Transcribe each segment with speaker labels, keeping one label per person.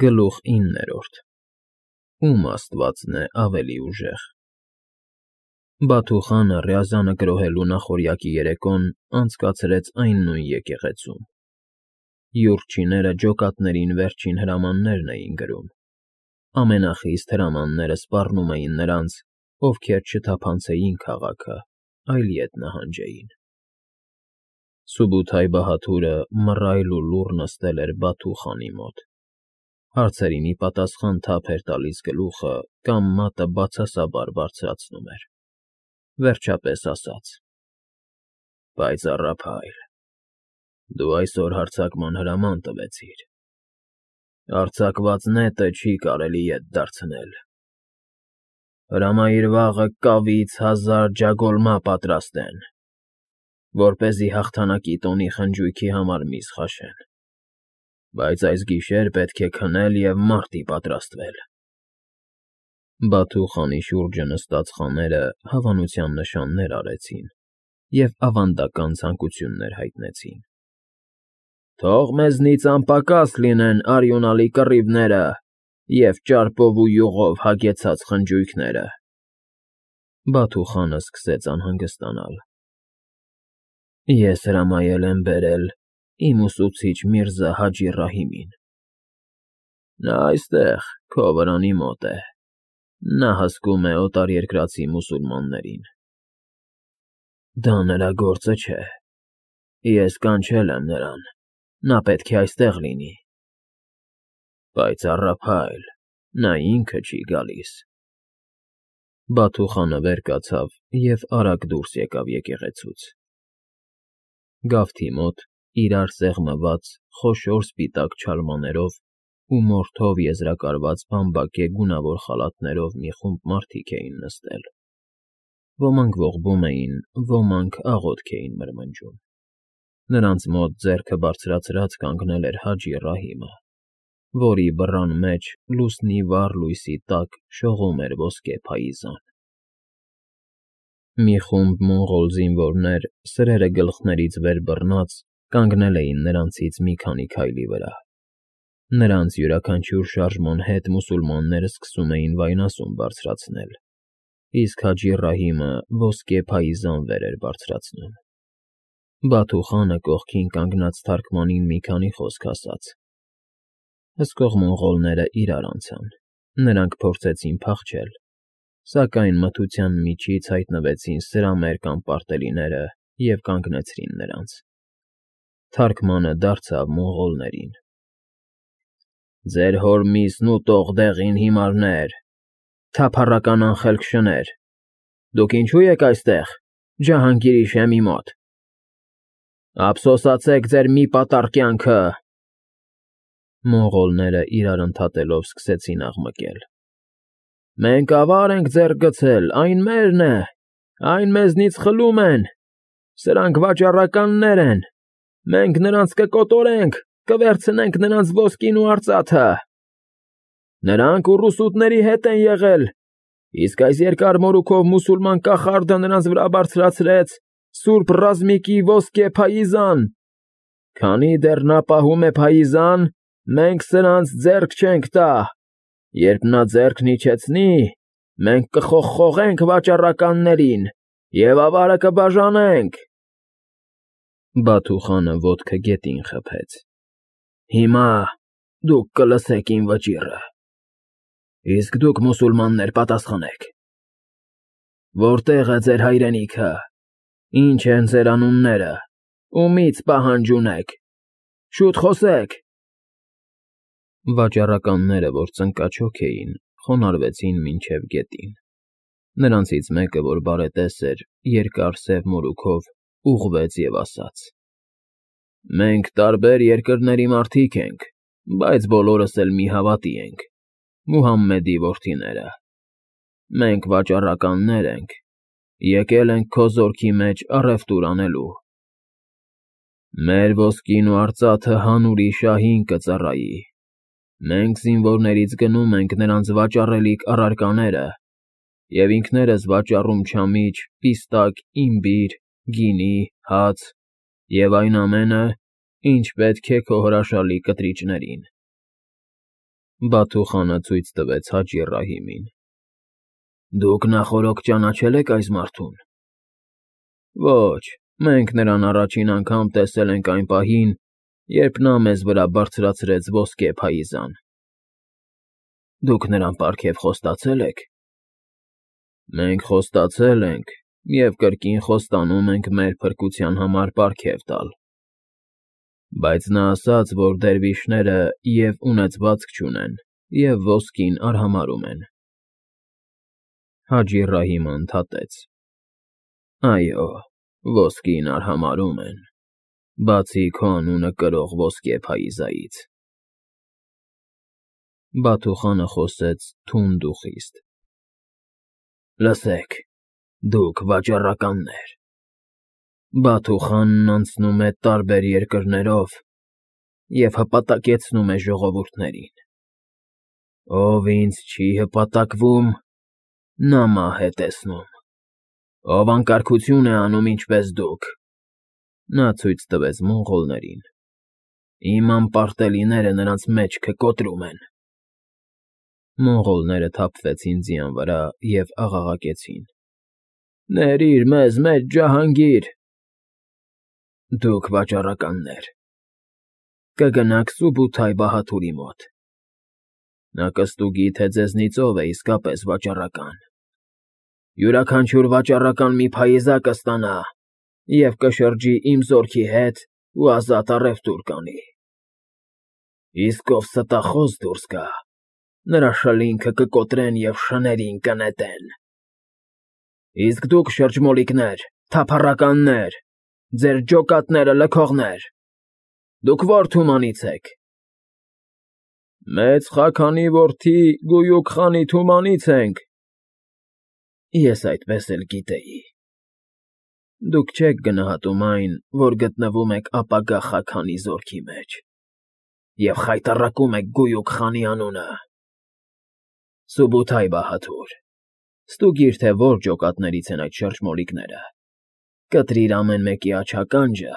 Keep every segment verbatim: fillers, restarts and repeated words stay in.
Speaker 1: Գլուխ իններորդ Ում աստվածն է ավելի ուժեղ։ Բաթու խանը Ռյազանը գրոհելու նախօրյակի երեկոն անցկացրեց այն նույն եկեղեցում։ Յուրչիները ջոկատներին վերջին հրամաններն էին գրում։ Ամենախիստ հրամանները սպառնում էին նրանց, ովքեր չթափանցեին քաղաքը, այլ ետ նահանջեին։ Սուբութայ Բահաթուրը մռայլ ու լուռ նստել էր Բաթու խանի մոտ։ Հարցերին ի պատասխան թափ էր տալիս գլուխը կամ մատը բացասաբար բարձրացնում էր։ Վերջապես ասաց. Պայծառափայլ, դու այսօր հարձակման հրաման տվեցիր։ Արձակված նետը չի կարելի ետ դարձնել։ Հրամայիր վաղը կավից հազար ջագոլմա պատրաստեն, որպեսզի հաղթանակի տոնի խնջույքի համար միս խաշեն, բայց այս գիշեր պետք է քնել և մարտի պատրաստվել։ Բաթու խանի շուրջը նստած խաները հավանության նշաններ արեցին և ավանդական ցանկություններ հայտնեցին։ Թող մեզնից անպակաս լինեն արյունալի կռիվները և ճարպով ու յուղով հագեցած խնջույքները։ Բաթու խանը սկսեց անհանգստանալ։ Ես հրամայել եմ բերել իմ ուսուցիչ Միրզա Հաջի Ռահիմին։ Նա այստեղ, քո վրանի մոտ է, նա հսկում է օտարերկրացի մուսուլմաններին։ Դա նրա գործը չէ, ես կանչել եմ նրան, նա պետք է այստեղ լինի։ Պայծառափայլ, նա ինքը չի գալիս։ Բաթու խանը վեր կացավ և արագ դուրս եկավ եկեղեցուց։ Գավթի մոտ, իրար սեղմված, խոշոր սպիտակ չալմաներով ու մորթով եզրակարված բամբակե գունավոր խալաթներով մի խումբ մարդիկ էին նստել։ Ոմանք ողբում էին, ոմանք աղոթք էին մրմնջում։ Նրանց մոտ ձեռքը բարձրացրած կանգնել էր Հաջի Ռահիմը, որի բռան մեջ լուսնի վառ լույսի տակ շողում էր ոսկե փայիզան։ Մի խումբ մոնղոլ զինվորներ, սրերը գլխներից վեր բռնած, կանգնել էին նրանցից մի քանի քայլի վրա։ Նրանց յուրաքանչյուր շարժման հետ մուսուլմանները սկսում էին վայնասուն բարձրացնել, իսկ Հաջի Ռահիմը ոսկե փայիզան վեր էր բարձրացնում։ Բաթու խանը կողքին կանգնած թարգմանին մի քանի խոսք ասաց։ Հսկող մոնղոլները իրար անցան, նրանք փորձեցին փախչել, սակայն մթության միջից հայտնվեցին սրամեր կամ պարտելիները և կանգնեցրին նրանց։ Թարգմանը դարձավ մոնղոլներին. Ձեր հոր միսն ուտող դեղին հիմարներ, թափառական անխելք շներ, դուք ինչո՞ւ եք այստեղ, Ջահանգիրի շեմի մոտ։ Ափսոսացեք ձեր մի պատառ կյանքը։ Մոնղոլները իրար ընդհատելով սկսեցին աղմկել։ Մենք ավար ենք ձեռք գցել, այն մերն է, այն մեզնից խլում են, սրանք վաճառականներ են, մենք նրանց կկոտորենք, կվերցնենք նրանց ոսկին ու արծաթը։ Նրանք ուռուսուտների հետ են եղել, իսկ այս երկար մորուքով մուսուլման կախարդը նրանց վրա բարձրացրեց սուրբ ռազմիկի ոսկե փայիզան։ Քանի դեռ նա պահում է փայիզան, մենք սրանց ձեռք չենք տա։ Երբ նա ձեռքն իջեցնի, մենք կխողխողենք վաճառականներին և ավարը կբաժանենք։ Բաթու խանը ոտքը գետին խփեց։ Հիմա դուք կլսեք իմ վճիռը։ Իսկ դուք մուսուլմաններ պատասխանեք։ Որտե՞ղ է ձեր հայրենիքը, ինչ են ձեր անունները, ումի՞ց պահանջ ունեք, շուտ խոսեք։ Վաճառականները, որ ծնկաչոք էին, խոնարհվեցին մինչև գետին։ Նրանցից մեկը, որ բարետես էր, երկար սև մորուքով, ուղղվեց և ասաց. Մենք տարբեր երկրների մարդիկ ենք, բայց բոլորս էլ մի հավատի ենք, Մուհամմեդի որդիները։ Մենք վաճառականներ ենք, եկել ենք քո զորքի մեջ առևտուր անելու։ Մեր ոսկին ու արծաթը հանուրի շահին կծառայի։ Մենք զինվորներից գնում ենք նրանց վաճառելիք առարկաները և ինքներս վաճառում չամիչ, պիստակ, իմբիր, գինի, հաց և այն ամենը, ինչ պետք է քո հրաշալի կտրիճներին։ Բաթու խանը ցույց տվեց Հաջի Ռահիմին։ Դուք նախօրոք ճանաչել եք այս մարդուն։ Ոչ, մենք նրան առաջին անգամ տեսել ենք այն պահին, երբ նա մեզ վրա բարձրացրեց ոսկե փայիզան։ Դուք նրան պարգև խոստացել եք։ Մենք խոստացել ենք և կրկին խոստանում ենք մեր փրկության համար պարգև տալ։ Բայց նա ասաց, որ դերվիշները և ունեցվածք չունեն, և ոսկին արհամարհում են։ Հաջի Ռահիմը ընդհատեց. Այո, ոսկին արհամարհում են, բացի քո անունը կրող ոսկե փայիզայից։ Բաթու խանը խոսեց թունդ ու խիստ. Լսեք, դուք վաճառականներ։ Բաթու խանն անցնում է տարբեր երկրներով և հպատակեցնում է ժողովուրդներին։ Ով ինձ չի հպատակվում, նա մահ է տեսնում։ Ով անկարգություն է անում ինչպես դուք, նա ցույց տվեց մոնղոլներին, իմ անպարտելիները նրանց մեջքը կոտրում են։ Մոնղոլները թափվեցին ձիան վրա և աղաղակեցին. Ներիր մեզ մեր ջահանգիր։ Դուք վաճառականներ, կգնաք Սուբութայ Բահադուրի մոտ։ Նա կստուգի, թե ձեզնից ով է իսկապես վաճառական։ Յուրաքանչյուր վաճառական մի փայիզա կստանա և կշրջի իմ զորքի հետ ու ազատ առևտուր կանի։ Իսկ ով ստախոս դուրս գա, նրա շլինքը կկոտրեն և շներին կնետեն։ Իսկ դուք շրջմոլիկներ, թափառականներ, ձեր ջոկատները լքողներ, դուք ո՞ր թումանից եք։ Մեծ Խաքանի որդի Գույուք խանի թումանից ենք։ Ես այդպես էլ գիտեի։ Դուք չեք գնահատում այն, որ գտնվում եք ապագա Խաքանի զորքի մեջ, և խայտառակում եք Գույուք խանի անունը։ Սուբութայ Բահադուր, ստուգիր, թե որ ջոկատներից են այդ շրջմոլիկները, կտրիր ամեն մեկի աջականջը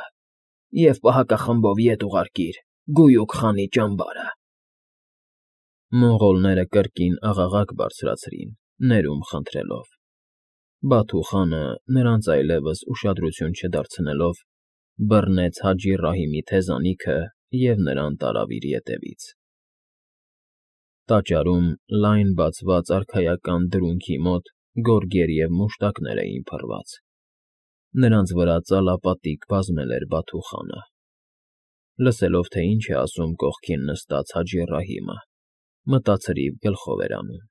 Speaker 1: և պահակախմբով ետ ուղարկիր Գույուք խանի ճամբարը։ Մոնղոլները կրկին աղաղակ բարձրացրին, ներում խնդրելով։ Բաթու խանը, նրանց այլևս ուշադրություն չդարձնելով, բռնեց Հաջի Ռահիմի թեզանիքը և նրան տարավ իր ետևից։ Տաճարում լայն բացված արքայական դրունքի մոտ գորգեր և մուշտակներ էին փռված։ Նրանց վրա ծալապատիկ բազմել էր Բաթու խանը։ Լսելով, թե ինչ է ասում կողքին նստած Հաջի Ռահիմը, մտացրիվ գլխով էր անում։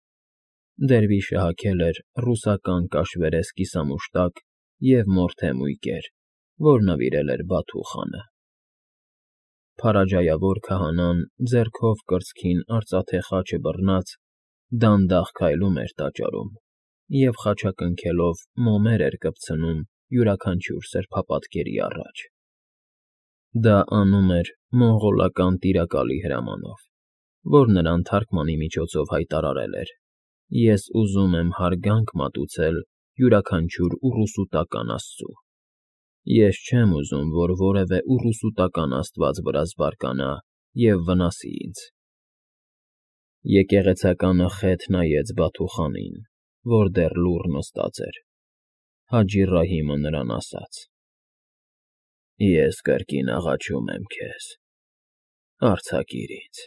Speaker 1: Դերվիշը հագել էր ռուսական կաշվերես կիսամուշտակ և մորթե մույկեր, որ նվիրել էր Բաթու խանը։ Փարաջայավոր քահանան ձեռքով կրծքին արծաթե խաչը բռնած դանդաղ քայլում էր տաճարում և խաչակնքելով մոմեր էր կպցնում յուրաքանչյուր սրբապատկերի առաջ։ Դա անում էր մոնղոլական տիրակալի հրամանով, որ նրան թարգմանի միջոցով հայտարարել էր. Ես ուզում եմ հարգանք մատուցել յուրաքանչյուր ուռուսուտական աստծու։ Ես չեմ ուզում, որ որևէ ուռուսուտական աստված վրաս բարկանա և վնասի ինձ։ Եկեղեցականը խեթ նայեց Բաթու խանին, որ դեռ լուռ նստած էր։ Հաջի Ռահիմը նրան ասաց. Ես կրկին աղաչում եմ քեզ, արձակիր ինձ։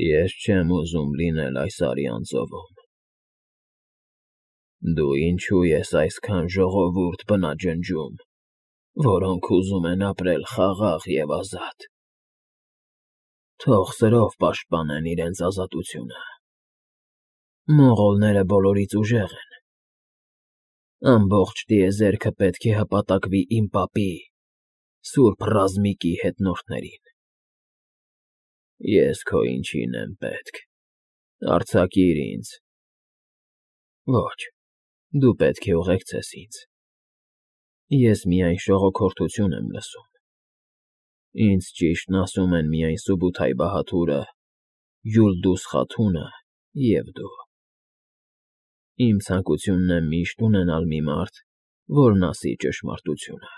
Speaker 1: Ես չեմ ուզում լինել այս արյան ծովում։ Դու ինչու ես այսքան ժողովուրդ բնաջնջում, որոնք ուզում են ապրել խաղաղ և ազատ։ Թող սրով պաշտպանեն իրենց ազատությունը։ Մոնղոլները բոլորից ուժեղ են։ Ամբողջ տիեզերքը պետք է հպատակվի իմ պապի՝ Սուրբ Ռազմիկի հետնորդներին։ Ես քո ինչին եմ պետք, արձակիր ինձ։ Ոչ, դու պետք է ուղեկցես ինձ։ Ես միայն շողոքորթություն եմ լսում։ Ինձ ճիշտն ասում են միայն Սուբութայ Բահադուրը, Յուլդուզ Խաթունը և դու։ Իմ ցանկությունն է միշտ ունենալ մի մարդ, որն ասի ճշմարտությունը։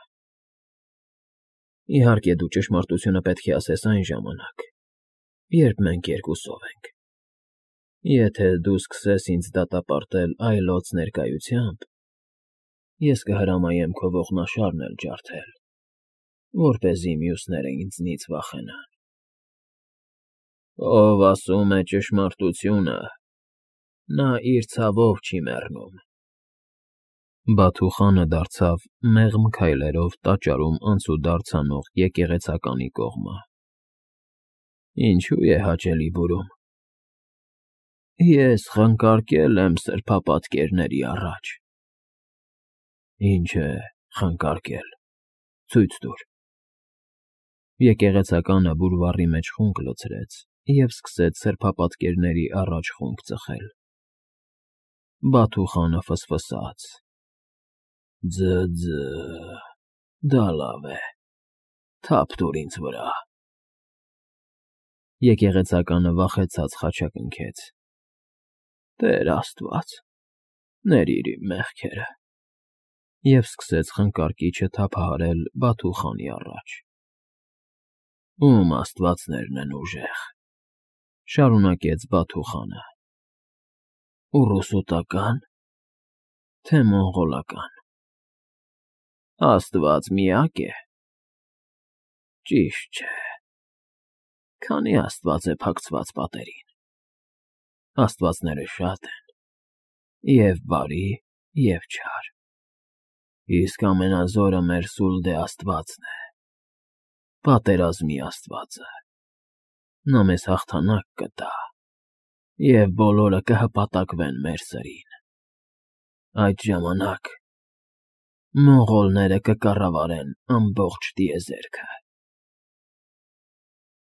Speaker 1: Իհարկե, դու ճշմարտությունը պետք է ասես այն ժամանակ, երբ մենք երկուսով ենք։ Եթե դու սկսես ինձ դատապարտել այլոց ներկայությամբ, ես կհրամայեմ քո ողնաշարն էլ ջարդել, որպեսզի մյուսները ինձնից վախենան։ Ով ասում է ճշմարտությունը, նա իր ցավով չի մեռնում։ Բաթուխանը դարձավ մեղմ քայլերով տաճարում անցուդարձ անող եկեղեցականի կողմը։ Ինչո՞ւ է հաճելի բուրում։ Ես խնկարկել եմ սրբապատկերների առաջ։ Ինչ է խնկարկել, ցույց տուր։ Եկեղեցականը բուրվառի մեջ խունկ լցրեց և սկսեց սրբապատկերների առաջ խունկ ծխել։ Բաթուխանը ֆսֆսաց. Ձը՜, դա լավ է, թափ տուր ինձ վրա։ Եկեղեցականը վախեցած խաչակնքեց. Տեր Աստված, ներիր իմ մեղքերը, և սկսեց խնկարկիչը թափահարել Բաթուխանի առաջ։ Ում աստվածներն են ուժեղ, շարունակեց Բաթուխանը, ուռուսուտակա՞ն, թե մոնղոլական։ Աստված միա՞կ է։ Ճիշտ չէ։ Քանի՞ աստված է փակցված պատերին։ Աստվածները շատ են, և՛ բարի, և՛ չար, իսկ ամենազորը մեր Սուլդե աստվածն է, պատերազմի աստվածը։ Նա մեզ հաղթանակ կտա, և բոլորը կհպատակվեն մեր սրին։ Այդ ժամանակ մոնղոլները կկառավարեն ամբողջ տիեզերքը։